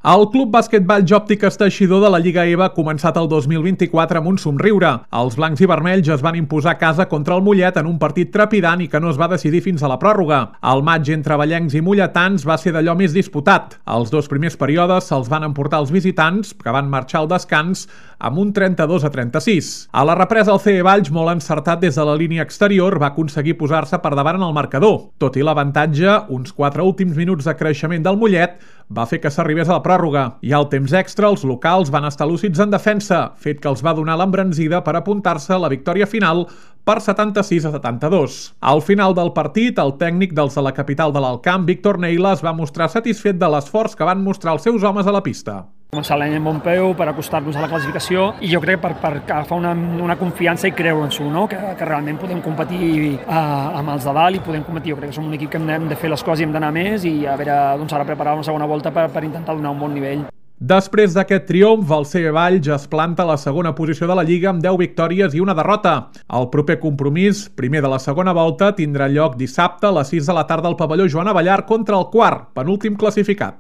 El Club Basquetball Jòptiques Teixidor de la Lliga EVA ha començat el 2024 amb un somriure. Els blancs i vermells es van imposar a casa contra el Mollet en un partit trepidant i que no es va decidir fins a la pròrroga. El maig entre vallencs i molletans va ser d'allò més disputat. Els dos primers períodes se'ls van emportar els visitants, que van marxar al descans amb un 32-36. A la represa, el CE Valls, molt encertat des de la línia exterior, va aconseguir posar-se per davant en el marcador. Tot i l'avantatge, uns 4 últims minuts de creixement del Mollet va fer que s'arribés a la pròrroga. I al temps extra, els locals van estar lúcids en defensa, fet que els va donar l'embranzida per apuntar-se a la victòria final per 76-72. Al final del partit, el tècnic dels de la capital de l'Alt Camp, Víctor Neila, es va mostrar satisfet de l'esforç que van mostrar els seus homes a la pista. Començar l'any amb bon peu per acostar-nos a la classificació i jo crec per agafar una confiança i creure-ens-ho, no? que realment podem competir amb els de dalt i podem competir. Jo crec que som un equip que hem de fer les coses i hem d'anar més i a veure, doncs ara preparar una segona volta per intentar donar un bon nivell. Després d'aquest triomf, el CE Valls es planta a la segona posició de la Lliga amb 10 victòries i una derrota. El proper compromís, primer de la segona volta, tindrà lloc dissabte a les 6 de la tarda al pavelló Joan Abellar contra el quart, penúltim classificat.